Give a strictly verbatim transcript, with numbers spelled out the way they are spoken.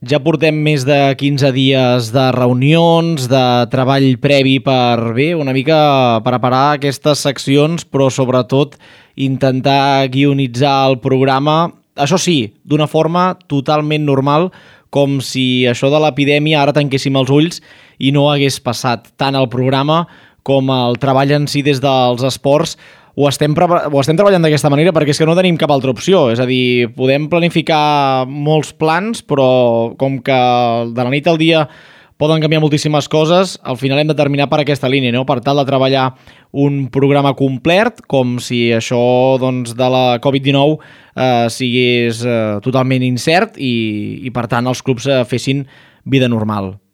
Ja portem més de quinze dies de reunions, de treball previ per, bé, una mica preparar aquestes seccions, però sobretot intentar guionitzar el programa, això sí, d'una forma totalment normal, com si això de l'epidèmia ara tanquéssim els ulls i no hagués passat. Tant el programa com el treball en si des dels esports ho estem, ho estem treballant d'aquesta manera perquè és que no tenim cap altra opció. És a dir, podem planificar molts plans, però com que de la nit al dia poden canviar moltíssimes coses, al final hem de terminar per aquesta línia, no? Per tal de treballar un programa complet, com si això doncs, de la covid dinou eh, sigués eh, totalment incert i, i per tant els clubs eh, fessin vida normal.